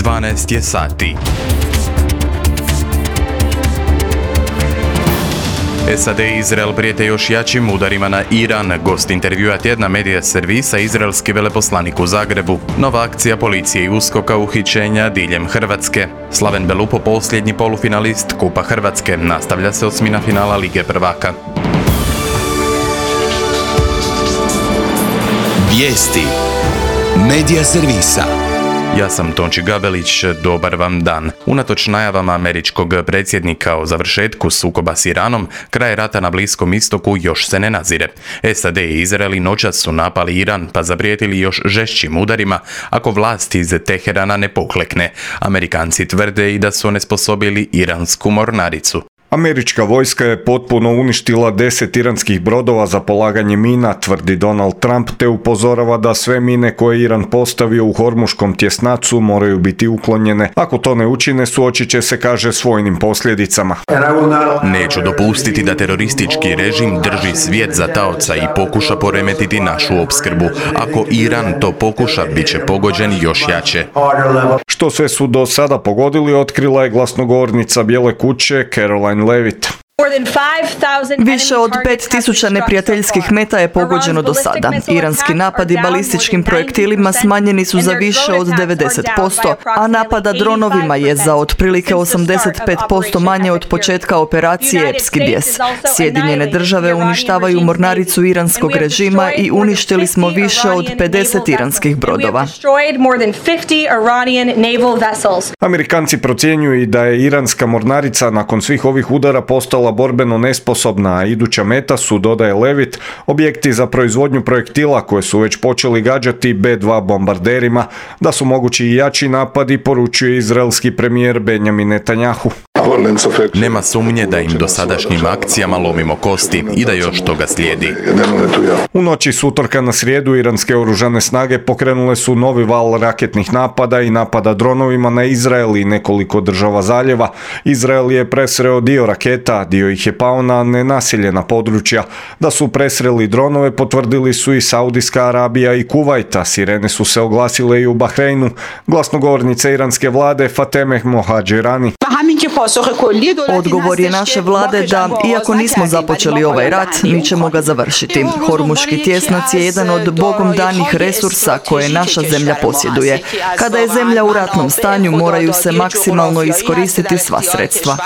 12 je sati. SAD i Izrael prijete još jačim udarima na Iran. Gost intervjua tjedna medija servisa, izraelski veleposlanik u Zagrebu. Nova akcija policije i USKOK-a uhićenja diljem Hrvatske. Slaven Belupo, posljednji polufinalist Kupa Hrvatske. Nastavlja se osmina finala Lige prvaka. Vijesti medija servisa. Ja sam Tonči Gabelić, dobar vam dan. Unatoč najavama američkog predsjednika o završetku sukoba s Iranom, kraj rata na Bliskom istoku još se ne nazire. SAD i Izrael noćas su napali Iran pa zaprijetili još žešćim udarima ako vlast iz Teherana ne poklekne. Amerikanci tvrde i da su onesposobili iransku mornaricu. Američka vojska je potpuno uništila 10 iranskih brodova za polaganje mina, tvrdi Donald Trump, te upozorava da sve mine koje Iran postavio u Hormuškom tjesnacu moraju biti uklonjene. Ako to ne učine, suočit će se, kaže, s vojnim posljedicama. Neću dopustiti da teroristički režim drži svijet za taoca i pokuša poremetiti našu opskrbu. Ako Iran to pokuša, bit će pogođen još jače. Što sve su do sada pogodili, otkrila je glasnogovornica Bijele kuće Caroline Levitt. Više od 5000 neprijateljskih meta je pogođeno do sada. Iranski napadi balističkim projektilima smanjeni su za više od 90%, a napada dronovima je za otprilike 85% manje od početka operacije Epski bijes. Sjedinjene države uništavaju mornaricu iranskog režima i uništili smo više od 50 iranskih brodova. Amerikanci procjenjuju i da je iranska mornarica nakon svih ovih udara postala borbeno nesposobna, a iduća meta su, dodaje Levitt, objekti za proizvodnju projektila koje su već počeli gađati B-2 bombarderima. Da su mogući i jači napadi, poručuje izraelski premijer Benjamin Netanjahu. Nema sumnje da im dosadašnjim akcijama lomimo kosti i da još toga slijedi. U noći s utorka na srijedu iranske oružane snage pokrenule su novi val raketnih napada i napada dronovima na Izrael i nekoliko država zaljeva. Izrael je presreo dio raketa, dio ih je pao na nenaseljena područja. Da su presreli dronove potvrdili su i Saudijska Arabija i Kuvajta. Sirene su se oglasile i u Bahreinu. Glasnogovornica iranske vlade Fatemeh Mohađerani. Odgovor je naše vlade da, iako nismo započeli ovaj rat, mi ćemo ga završiti. Hormuški tjesnac je jedan od Bogom danih resursa koje naša zemlja posjeduje. Kada je zemlja u ratnom stanju, moraju se maksimalno iskoristiti sva sredstva.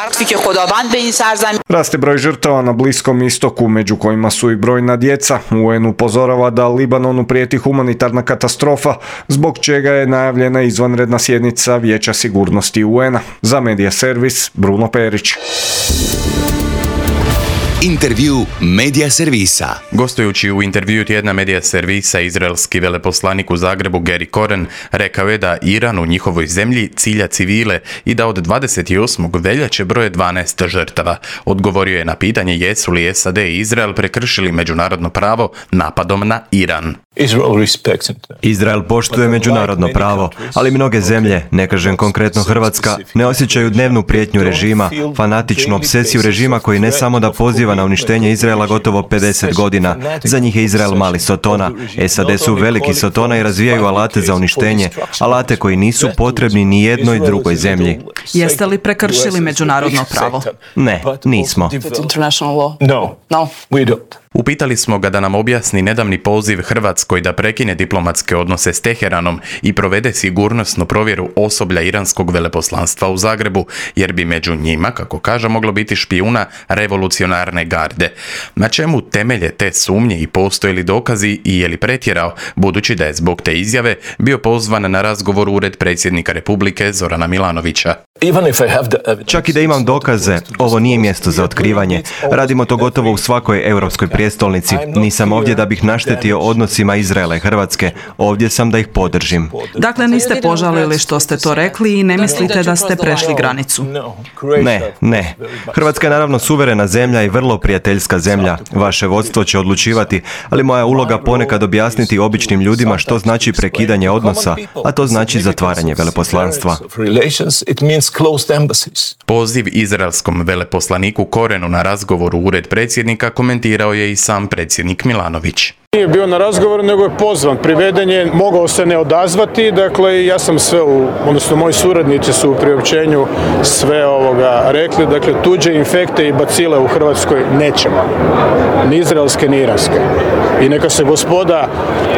Raste broj žrtava na Bliskom istoku, među kojima su i brojna djeca. UN upozorava da Libanonu prijeti humanitarna katastrofa, zbog čega je najavljena izvanredna sjednica Vijeća sigurnosti UN-a. Za medija servis Bruno Perić. Intervju medija servisa. Gostujući u intervju tjedna medija servisa, izraelski veleposlanik u Zagrebu Gary Koren rekao je da Iran u njihovoj zemlji cilja civile i da od 28. veljače broje 12 žrtava. Odgovorio je na pitanje jesu li SAD i Izrael prekršili međunarodno pravo napadom na Iran. Izrael poštuje međunarodno pravo, ali mnoge zemlje, ne kažem konkretno Hrvatska, ne osjećaju dnevnu prijetnju režima, fanatičnu obsesiju režima koji ne samo da poziva na uništenje Izraela gotovo 50 godina. Za njih je Izrael mali sotona. SAD su veliki sotona i razvijaju alate za uništenje, alate koji nisu potrebni ni jednoj drugoj zemlji. Jeste li prekršili međunarodno pravo? Ne, nismo. Upitali smo ga da nam objasni nedavni poziv Hrvatskoj da prekine diplomatske odnose s Teheranom i provede sigurnosnu provjeru osoblja iranskog veleposlanstva u Zagrebu, jer bi među njima, kako kaže, moglo biti špijuna revolucionarne garde. Na čemu temelje te sumnje i postoje li dokazi i je li pretjerao, budući da je zbog te izjave bio pozvan na razgovor u ured predsjednika Republike Zorana Milanovića. Čak i da imam dokaze, ovo nije mjesto za otkrivanje. Radimo to gotovo u svakoj europskoj prijestolnici. Nisam ovdje da bih naštetio odnosima Izraela i Hrvatske. Ovdje sam da ih podržim. Dakle, niste požalili što ste to rekli i ne mislite da ste prešli granicu? Ne. Hrvatska je naravno suverena zemlja i vrlo prijateljska zemlja. Vaše vodstvo će odlučivati, ali moja uloga ponekad objasniti običnim ljudima što znači prekidanje odnosa, a to znači zatvaranje veleposlanstva. Poziv izraelskom veleposlaniku Korenu na razgovor u ured predsjednika komentirao je i sam predsjednik Milanović. Nije bio na razgovoru, nego je pozvan, priveden je, mogao se ne odazvati, dakle ja sam sve, odnosno moji suradnici su u priopćenju sve rekli, dakle tuđe infekte i bacile u Hrvatskoj nećemo, ni izraelske ni iranske. I neka se gospoda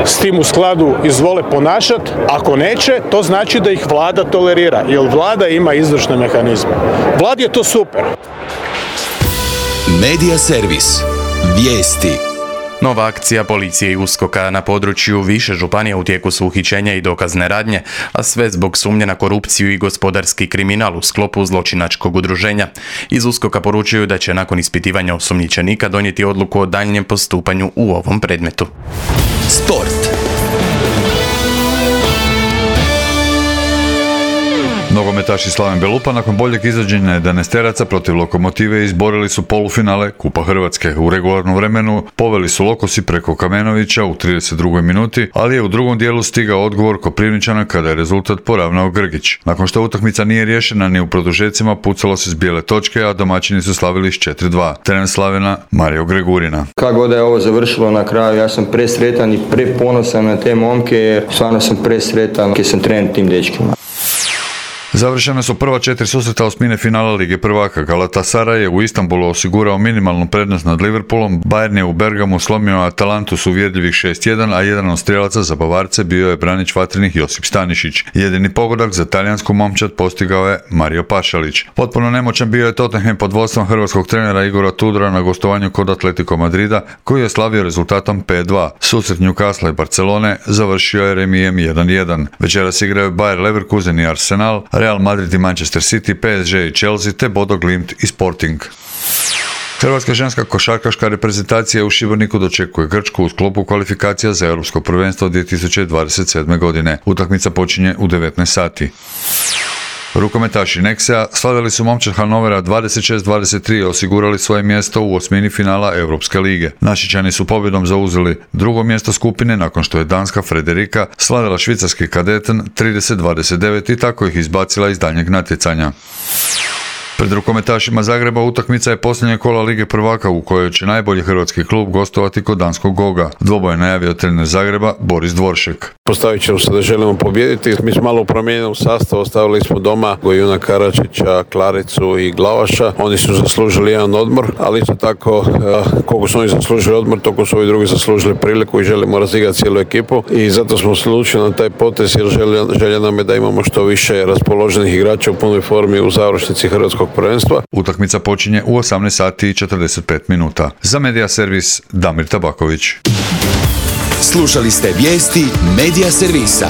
s tim u skladu izvole ponašati, ako neće, to znači da ih vlada tolerira, jer vlada ima izvršne mehanizme. Vladi je to super. Medija servis. Vijesti. Nova akcija policije i USKOK-a na području više županija u tijeku su uhićenja i dokazne radnje, a sve zbog sumnje na korupciju i gospodarski kriminal u sklopu zločinačkog udruženja. Iz USKOK-a poručuju da će nakon ispitivanja osumnjičenika donijeti odluku o daljnjem postupanju u ovom predmetu. Sport. Nogometaši Slaven Belupa nakon boljeg izvođenja 11-teraca protiv Lokomotive izborili su polufinale Kupa Hrvatske. U regularnom vremenu poveli su Lokosi preko Kamenovića u 32. minuti, ali je u drugom dijelu stigao odgovor Koprivničana kada je rezultat poravnao Grgić. Nakon što utakmica nije riješena ni u produžecima, pucalo se s bijele točke, a domaćini su slavili s 4-2. Trener Slavena Mario Gregurina. Kako god je ovo završilo na kraju, ja sam presretan i preponosan na te momke, jer stvarno sam presretan jer sam trener tim dečkima. Završene su prva 4 susreta osmine finala Lige prvaka. Galatasaray je u Istanbulu osigurao minimalnu prednost nad Liverpoolom, Bayern je u Bergamu slomio Atalantu s uvjerljivih 6-1, a jedan od strijelaca za Bavarce bio je branič vatrenih Josip Stanišić. Jedini pogodak za talijansku momčad postigao je Mario Pašalić. Potpuno nemoćan bio je Tottenham pod vodstvom hrvatskog trenera Igora Tudora na gostovanju kod Atletico Madrida, koji je slavio rezultatom 5-2. Susret Newcastle i Barcelone završio je remijem 1-1. Večeras igraju Bayer Leverkusen i Arsenal, Real Madrid i Manchester City, PSG i Chelsea te Bodo Glimt i Sporting. Hrvatska ženska košarkaška reprezentacija u Šibeniku dočekuje Grčku u sklopu kvalifikacija za Europsko prvenstvo 2027. godine. Utakmica počinje u 19 sati. Rukometaši Nexea slavili su momčad Hanovera 26-23 i osigurali svoje mjesto u osmini finala Europske lige. Našičani su pobjedom zauzeli drugo mjesto skupine nakon što je danska Frederika slavila švicarski Kadeten 30-29 i tako ih izbacila iz daljnjeg natjecanja. Pred rukometašima Zagreba utakmica je posljednje kola Lige prvaka u kojoj će najbolji hrvatski klub gostovati kod danskog Goga. Dvoboj je najavio trener Zagreba Boris Dvoršek. Postavit ćemo se da želimo pobijediti. Mi smo malo u promijenjenom sastavu, ostavili smo doma Gojuna Karačića, Klaricu i Glavaša. Oni su zaslužili jedan odmor, ali isto tako koliko su oni zaslužili odmor, toliko su ovi drugi zaslužili priliku i želimo razigrati cijelu ekipu. I zato smo se odlučili na taj potez jer želja nam je da imamo što više raspoloženih igrača u punoj formi u završnici hrvatskog prvenstva. Utakmica počinje u 18 sati i 45 minuta. Za Medija servis Damir Tabaković. Slušali ste vijesti Medija servisa.